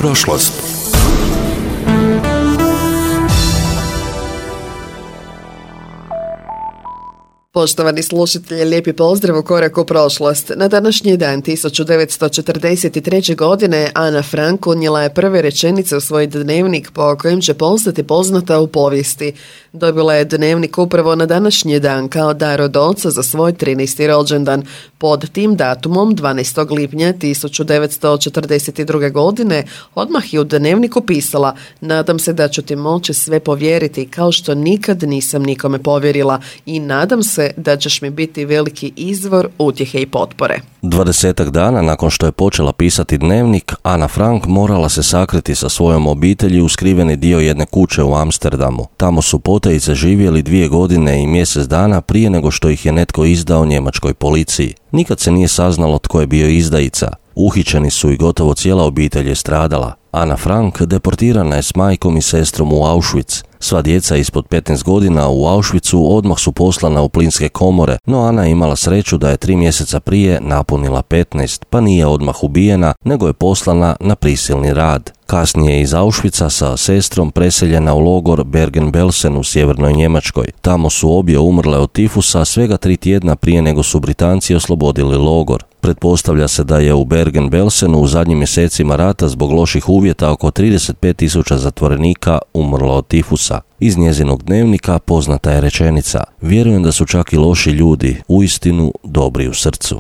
prošlost. Poštovani slušatelji, lijepi pozdrav u korak u prošlost. Na današnji dan 1943. godine Ana Frank unijela je prve rečenice u svoj dnevnik po kojem će postati poznata u povijesti. Dobila je dnevnik upravo na današnji dan kao dar od oca za svoj 13. rođendan. Pod tim datumom 12. lipnja 1942. godine odmah je u dnevniku pisala: nadam se da ću ti moći sve povjeriti kao što nikad nisam nikome povjerila i nadam se da ćeš mi biti veliki izvor utjehe i potpore. 20 dana nakon što je počela pisati dnevnik, Ana Frank morala se sakriti sa svojom obitelji u skriveni dio jedne kuće u Amsterdamu. Tamo su potajice živjeli 2 godine i mjesec dana prije nego što ih je netko izdao njemačkoj policiji. Nikad se nije saznalo tko je bio izdajica. Uhićeni su i gotovo cijela obitelj je stradala. Ana Frank deportirana je s majkom i sestrom u Auschwitz. Sva djeca ispod 15 godina u Auschwitzu odmah su poslana u plinske komore, no Ana je imala sreću da je 3 mjeseca prije napunila 15, pa nije odmah ubijena, nego je poslana na prisilni rad. Kasnije je iz Auschwitza sa sestrom preseljena u logor Bergen-Belsen u sjevernoj Njemačkoj. Tamo su obje umrle od tifusa svega 3 tjedna prije nego su Britanci oslobodili logor. Pretpostavlja se da je u Bergen-Belsenu u zadnjim mjesecima rata zbog loših uvjeta oko 35.000 zatvorenika umrlo od tifusa. Iz njezinog dnevnika poznata je rečenica: vjerujem da su čak i loši ljudi uistinu dobri u srcu.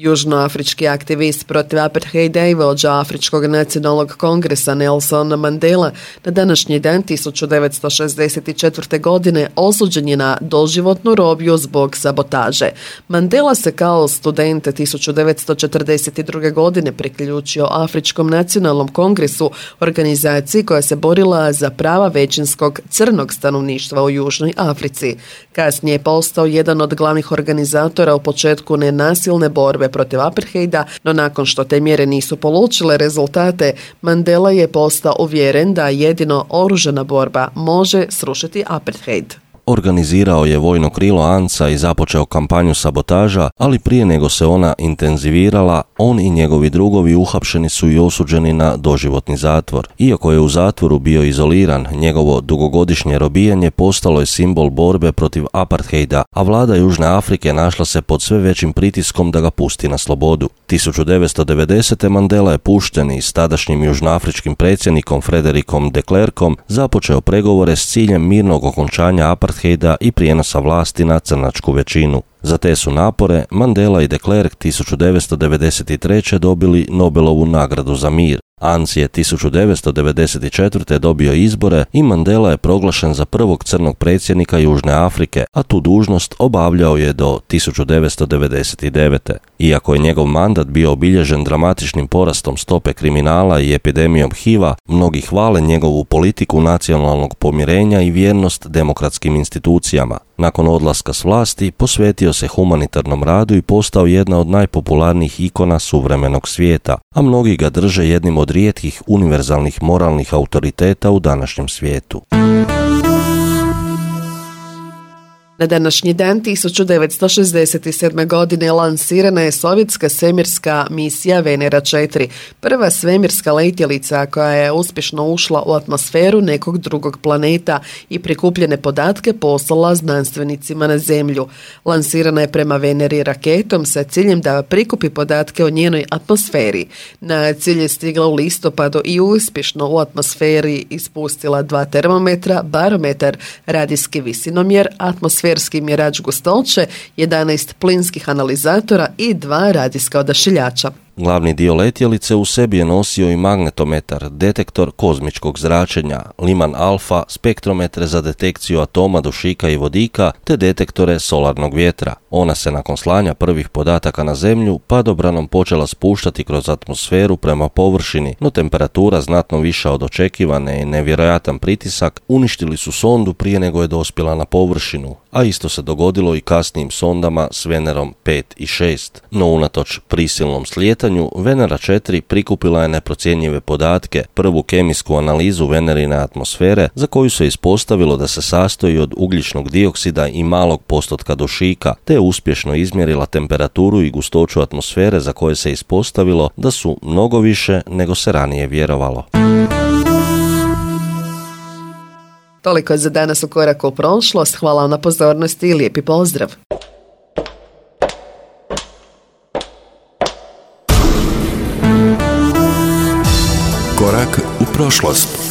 Južnoafrički aktivist protiv apartheida i vođa Afričkog nacionalnog kongresa Nelson Mandela na današnji dan 1964. godine osuđen je na doživotnu robiju zbog sabotaže. Mandela se kao student 1942. godine priključio Afričkom nacionalnom kongresu, organizaciji koja se borila za prava većinskog crnog stanovništva u Južnoj Africi. Kasnije je postao jedan od glavnih organizatora u početku nenasilne borbe protiv apartheida, no nakon što te mjere nisu polučile rezultate, Mandela je postao uvjeren da jedino oružana borba može srušiti apartheid. Organizirao je vojno krilo ANCA i započeo kampanju sabotaža, ali prije nego se ona intenzivirala, on i njegovi drugovi uhapšeni su i osuđeni na doživotni zatvor. Iako je u zatvoru bio izoliran, njegovo dugogodišnje robijanje postalo je simbol borbe protiv apartheida, a vlada Južne Afrike našla se pod sve većim pritiskom da ga pusti na slobodu. 1990. Mandela je pušten i s tadašnjim južnoafričkim predsjednikom Frederikom de Klerkom započeo pregovore s ciljem mirnog okončanja apartheida i prijenosa vlasti na crnačku većinu. Za te su napore Mandela i de Klerk 1993. dobili Nobelovu nagradu za mir. ANCI je 1994. dobio izbore i Mandela je proglašen za prvog crnog predsjednika Južne Afrike, a tu dužnost obavljao je do 1999. Iako je njegov mandat bio obilježen dramatičnim porastom stope kriminala i epidemijom HIV-a, mnogi hvale njegovu politiku nacionalnog pomirenja i vjernost demokratskim institucijama. Nakon odlaska s vlasti posvetio se humanitarnom radu i postao jedna od najpopularnijih ikona suvremenog svijeta, a mnogi ga drže jednim od rijetkih univerzalnih moralnih autoriteta u današnjem svijetu. Na današnji dan 1967. godine lansirana je sovjetska svemirska misija Venera 4, prva svemirska letjelica koja je uspješno ušla u atmosferu nekog drugog planeta i prikupljene podatke poslala znanstvenicima na Zemlju. Lansirana je prema Veneri raketom sa ciljem da prikupi podatke o njenoj atmosferi. Na cilj je stigla u listopadu i uspješno u atmosferi ispustila 2 termometra, barometar, radijski visinomjer, atmosferski mjerač gustoće, 11 plinskih analizatora i 2 radijska odašiljača. Glavni dio letjelice u sebi je nosio i magnetometar, detektor kozmičkog zračenja, Liman alfa, spektrometre za detekciju atoma, dušika i vodika, te detektore solarnog vjetra. Ona se nakon slanja prvih podataka na Zemlju padobranom počela spuštati kroz atmosferu prema površini, no temperatura znatno viša od očekivane i nevjerojatan pritisak uništili su sondu prije nego je dospjela na površinu, a isto se dogodilo i kasnijim sondama s Venerom 5 i 6. No unatoč prisilnom slijetanju pitanju, Venera 4 prikupila je neprocjenjive podatke, prvu kemijsku analizu Venerine atmosfere za koju se ispostavilo da se sastoji od ugljičnog dioksida i malog postotka dušika, te je uspješno izmjerila temperaturu i gustoću atmosfere za koje se ispostavilo da su mnogo više nego se ranije vjerovalo. Toliko je za danas u Koraku u prošlost. Hvala vam na pozornosti i lijepi pozdrav. Korak u prošlost.